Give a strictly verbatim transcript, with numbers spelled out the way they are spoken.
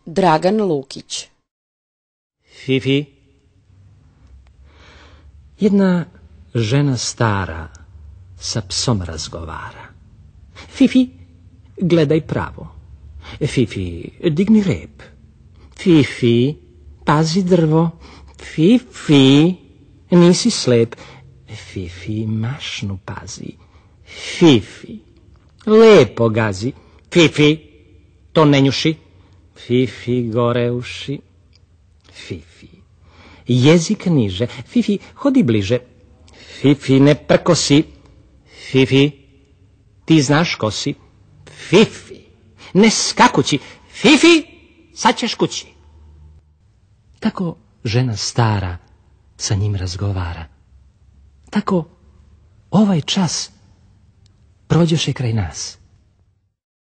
Dragan Lukić. Fifi. Jedna žena stara sa psom razgovara. Fifi, gledaj pravo. Fifi, digni rep. Fifi, pazi drvo. Fifi, nisi slep. Fifi, mašnu pazi. Fifi, lepo gazi. Fifi, to ne njuši. Fifi, gore uši. Fifi, jezik niže. Fifi, hodi bliže. Fifi, ne prkosi. Fifi, ti znaš ko si. Fifi, ne skakući. Fifi, sad ćeš kući. Tako žena stara sa njim razgovara. Tako ovaj čas prođoše kraj nas.